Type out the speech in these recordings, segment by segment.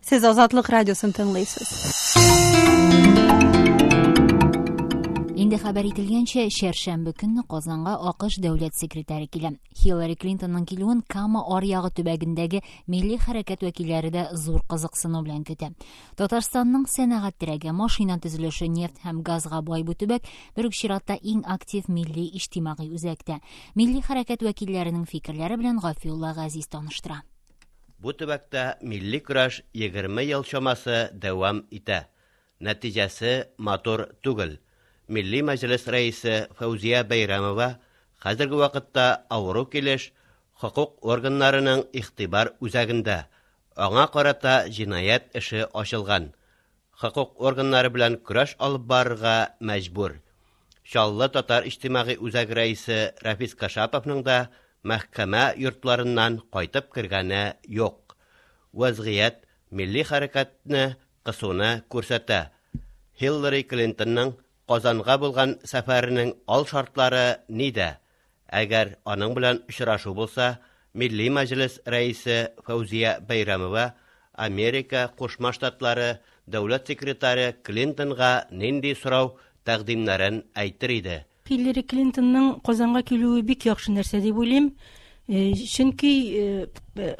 Сез Азатлык радиосын тыңлыйсыз. Инде хәбәр ителгәнчә, чәршәмбе көнне Казанга АКШ дәүләт секретаре килә. Хиллари Клинтонның килүен Кама аръягы төбәгендәге милли хәрәкәт вәкилләре дә зур кызыксыну белән көтә. Татарстанның сәнәгать терәге, машина төзелеше, нефть һәм газга бай бу төбәк бер үк чиратта иң актив милли иҗтимагый үзәк тә. Милли хәрәкәт вәкилләренең фикерләре белән Гафиулла Газиз таныштыра. Бу төбәктә милли көрәш 20 ел чамасы дәвам итә. Нәтиҗәсе матур түгел. Милли Мәҗлес рәисе Фәүзия Бәйрәмова хәзерге вакытта авыру килеш хокук органнарының игътибар үзәгендә. Аңа карата җинаять эше ачылган. Хокук органнары белән көрәш алып барырга мәҗбүр. Чаллы татар иҗтимагый үзәге рәисе Рафис Кашаповның да мәхкәмә йортларыннан кайтып кергәне юк. Вәзгыять милли хәрәкәтне кысуны күрсәтә. Хиллари Клинтонның Казанга булган сәфәренең ал шартлары нидә? Әгәр аның белән очрашу булса, Милли Мәҗлес рәисе Фәүзия Бәйрәмова Америка Кушма Штатлары дәүләт секретаре Клинтонга нинди сорау, тәкъдимнәрен әйтер иде? Хиллари Клинтонның Казанга килүе бик яхшы нәрсә дип уйлыйм. Чөнки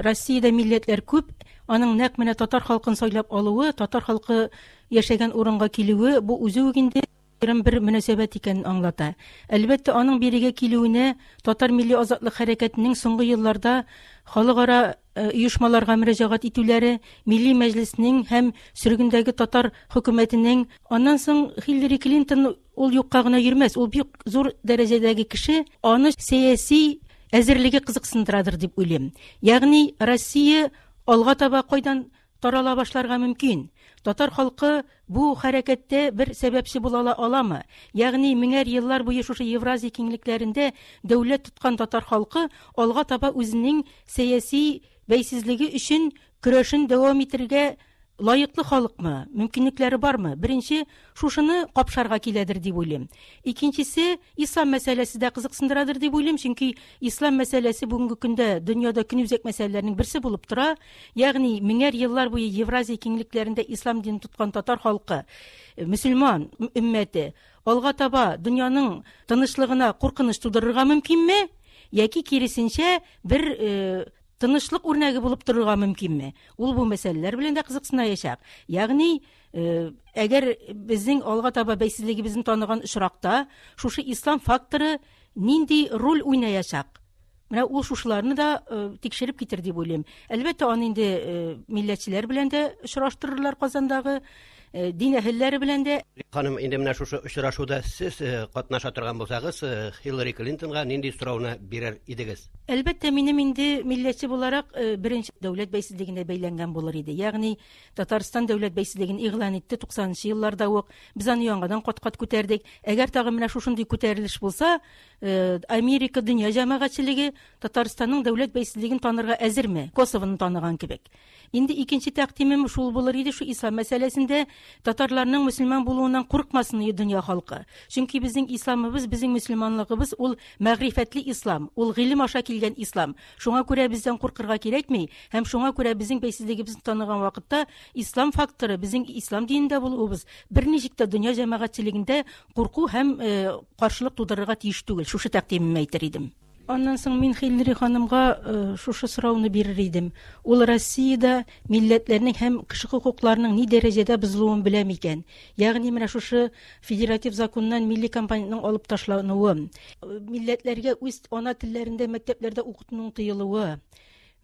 Россиядә милләтләр күп, аның нәкъ менә татар халкын сайлап алуы, татар халкы яшәгән урынга килүе, бу үзе үк инде аерым бер мөнәсәбәт икәнен аңлата. Әлбәттә, аның бирегә килүенә татар милли азатлык хәрәкәтенең соңгы елларда халыкара оешмаларга мөрәҗәгать итүләре, Милли Мәҗлеснең һәм сөргендәге татар хөкүмәтенең, аннан соң Хиллари Клинтон ул юкка гына йөрмәс, ул бик зур дәрәҗәдәге кеше, аны сәяси әзерлеге кызыксындырадыр дип уйлыйм. Ягъни Россия алга таба кайдан тарала башларга мөмкин? Татар халкы бу хәрәкәттә бер сәбәпче була аламы? Ягъни меңәр еллар буе шушы Евразия киңлекләрендә дәүләт тоткан татар халкы алга таба үзенең сәяси бәйсезлеге өчен көрәшен дәвам итәргә лаеклы халыкмы? Мөмкинлекләре бармы? Беренче, шушыны капшарга киләдер дип уйлыйм. Икенчесе, ислам мәсьәләсе дә кызыксындырадыр дип уйлыйм, чөнки ислам мәсьәләсе бүгенге көндә дөньяда көнүзәк мәсьәләләрнең берсе булып тора. Ягъни меңәр еллар буе Евразия киңлекләрендә ислам динен тоткан татар халкы, мөселман өммәте алга таба дөньяның тынычлыгына куркыныч тудырырга мөмкинме? Яки киресенчә бер тынычлык үрнәге булып торырга мөмкинме? Ул бу мәсьәләләр белән дә кызыксынаячак. Ягъни, әгәр безнең алга таба бәйсезлегебезне таныган очракта, шушы ислам факторы нинди роль уйнаячак? Менә ул шушыларны да тикшереп китер дип уйлыйм. Әлбәттә, аны инде милләтчеләр белән дә очраштырырлар Казандагы, дин әһелләре белән дә. Ханым, инде менә шушы очрашуда сез катнаша торган булсагыз, Хиллари Клинтонга нинди сорауны бирер идегез? Әлбәттә, минем инде милләтче буларак беренче дәүләт бәйсезлегенә бәйләнгән булыр иде. Ягъни Татарстан дәүләт бәйсезлеген игълан итте туксанынчы елларда ук. Без аны яңадан кат-кат күтәрдек. Әгәр тагын менә шушындый күтәрелеш булса, Америка дөнья җәмәгатьчелеге Татарстанның дәүләт бәйсезлеген танырга әзерме? Косовоны таныган кебек. Инде икенче тәкъдимем шул булыр иде, шу ислам мәсьәләсендә татарларның мөселман булуыннан куркмасын иде дөнья халкы. Чөнки безнең исламыбыз, безнең мөселманлыгыбыз ул мәгърифәтле ислам, ул гыйлем аша килгән ислам. Шуңа күрә бездән куркырга кирәкми һәм шуңа күрә безнең бәйсезлегебезне таныган вакытта ислам факторы, безнең ислам динендә булуыбыз берничек тә дөнья җәмәгатьчелегендә курку һәм каршылык тудырырга тиеш түгел. Шушы тәкъдимемне әйтер идем. Аннан соң мин Хиллари ханымга шушы сорауны бирер идем. Ул Россиядә милләтләрнең һәм кеше хокукларының ни дәрәҗәдә бозылуын белә микән? Ягъни менә шушы федератив законнан милли компонентның алып ташлануы, милләтләргә үз ана телләрендә мәктәпләрдә укытуның тыелуы,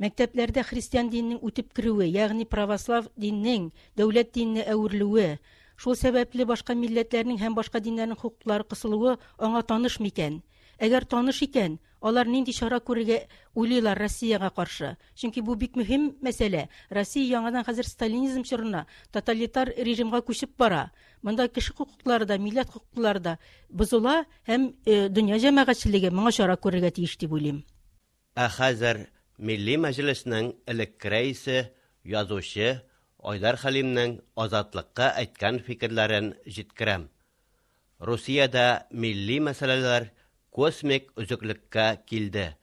мәктәпләрдә христиан диненең үтеп керүе, ягъни православ диннең дәүләт диненә әверелүе, шул сәбәпле башка милләтләрнең һәм башка диннәрнең хокуклары кысылуы аңа таныш микән? Әгәр таныш икән, алар нинди чара күрергә уйлыйлар Россиягә каршы? Чөнки бу бик мөһим мәсьәлә. Россия яңадан хәзер сталинизм чорына, тоталитар режимга күчеп бара. Монда кеше хокуклары да, милләт хокуклары да бозыла һәм дөнья җәмәгатьчелеге моңа чара күрергә тиеш дип уйлыйм. Ә хәзер Милли Мәҗлеснең элекке рәисе, язучы Айдар Хәлимнең Азатлыкка әйткән фикерләрен җиткерәм. Русиядә милли мәсьәләләр космик өзеклеккә килде.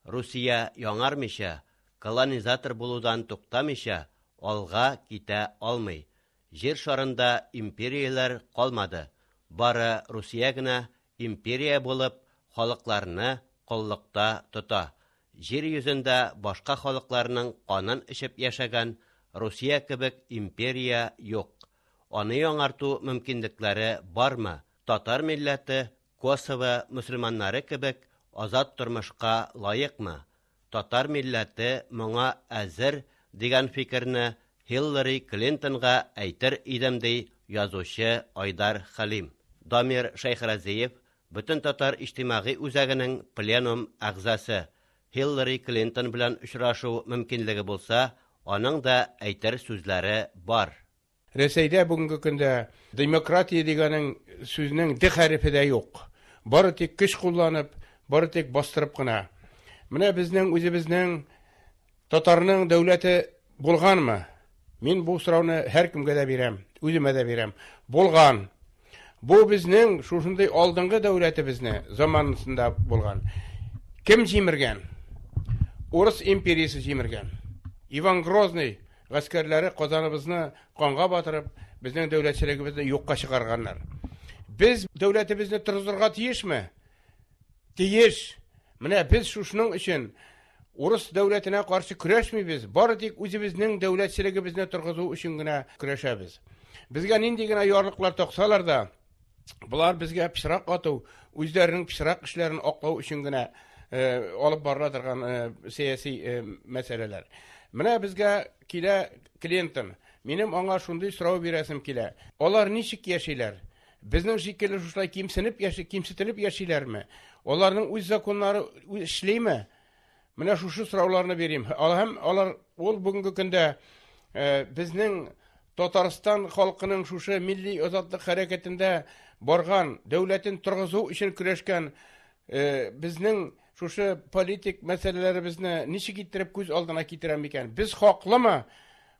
Русия яңармыйча, колонизатор булудан туктамыйча, алга китә алмый. Җир шарында империяләр калмады. Бары Русия генә империя булып, халыкларны коллыкта тота. Җир йөзендә башка халыкларның канын эчеп яшәгән Русия кебек империя юк. Аны яңарту мөмкинлекләре бармы? Татар милләте Косово мөселманнары кебек азат тормышка лаекмы? Татар милләте моңа әзер дигән фикерне Хиллари Клинтонга әйтер идем, ди язучы Айдар Хәлим. Дамир Шәйхразиев, Бөтен татар иҗтимагый үзәгенең пленум әгъзасы. Хиллари Клинтон белән очрашу мөмкинлеге булса, аның да әйтер сүзләре бар. Рәсәйдә бүгенге көндә демократия дигәнең сүзнең д хәрефе дә юк. Бары тик көч кулланып, бары тик бастырып кына. Менә безнең үзебезнең татарның дәүләте булганмы? Мин бу сорауны һәркемгә дә бирәм, үземә дә бирәм. Булган. Бу безнең шушындый алдынгы дәүләтебезне заманында булган. Кем җимергән? Урыс империясе җимергән. Иван Грозный гаскәрләре Казаныбызны канга батырып, безнең дәүләтчелегебезне юкка чыгарганнар. Без дәүләтебезне торгызырга тиешме? Тиеш. Менә без шушының өчен урыс дәүләтенә каршы көрәшмибез, бары тик үзебезнең дәүләтчелегебезне торгызу өчен генә көрәшәбез. Безгә нинди генә ярлыклар таксалар да, болар безгә пычрак ату, үзләренең пычрак эшләрен аклау өчен генә алып барыла торган сәяси мәсьәләләр. Менә безгә килә Клинтон. Минем аңа шундый сорау бирәсем килә. Алар ничек яшиләр? Безнең шикелле шушылай кимсенеп яши, кимсетелеп яшиләрме? Аларның үз законнары эшлиме? Менә шушы сорауларны бирим. Һәм алар ул бүгенге көндә безнең Татарстан халкының шушы милли азатлык хәрәкәтендә барган, дәүләтен торгызу өчен көрәшкән безнең шушы политик мәсьәләләребезне ничек иттереп күз алдына китерә микән? Без хаклымы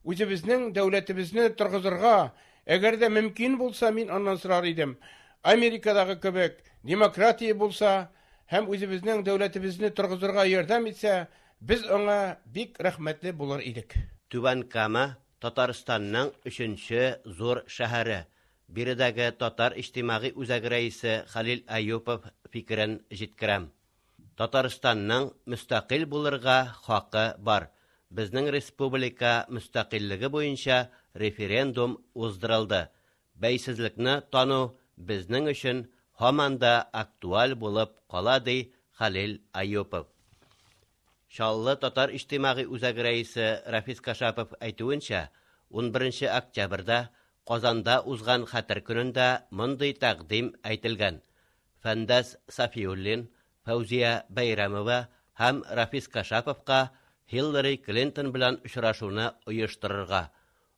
үзебезнең дәүләтебезне торгызырга? Әгәр дә мөмкин булса, мин аннан сорар идем. Америкадагы кебек демократия булса һәм үзебезнең дәүләтебезне торгызырга ярдәм итсә, без аңа бик рәхмәтле булыр идек. Түбән Кама Татарстанның өченче зур шәһәре. Биредәге Татар иҗтимагый үзәге рәисе Хәлил Әюпов фикерен җиткерәм. Татарстанның мөстәкыйль булырга хакы бар. Безнең республика мөстәкыйльлеге буенча референдум уздырылды. Бәйсезлекне тану безнең өчен һаман да актуаль булып кала, ди Хәлил Әюпов. Чаллы татар иҗтимагый үзәге рәисе Рафис Кашапов әйтүенчә, 11 октябрьдә Казанда узган Хәтер көнендә мондый тәкъдим әйтелгән. Фәндәс Сафиуллин, Фәүзия Бәйрәмова һәм Рафис Кашаповка Хиллари Клинтон белән очрашуны оештырырга.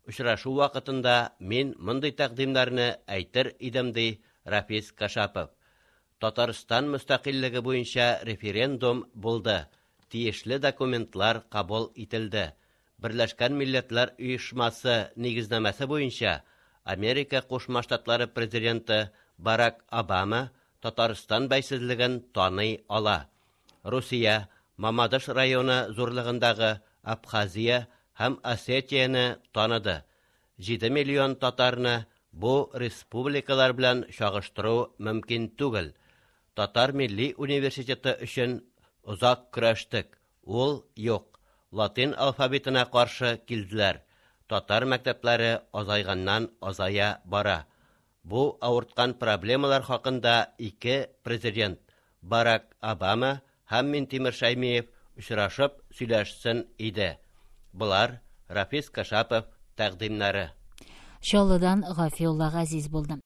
Очрашу вакытында мин мондый тәкъдимнәрне әйтер идем, ди Рафис Кашапов. Татарстан мөстәкыйльлеге буенча референдум булды. Тиешле документлар кабул ителде. Берләшкән Милләтләр Оешмасы нигезнамәсе буенча Америка Кушма Штатлары президенты Барак Обама Татарстан бәйсезлеген таный ала. Русия, Мамадыш районы зурлыгындагы Абхазия һәм Осетияне таныды. 7 миллион татарны бу республикалар белән чагыштыру мөмкин түгел. Татар милли университеты өчен озак көрәштек. Ул юк. Латин алфавитына каршы килделәр. Татар мәктәпләре азайганнан азая бара. Бу авырткан проблемалар хакында ике президент Барак Обама һәм Минтимер Шәймиев очрашып сөйләшсен иде. Болар Рафис Кашапов тәкъдимнәре. Чаллыдан Гафиулла Газиз булды.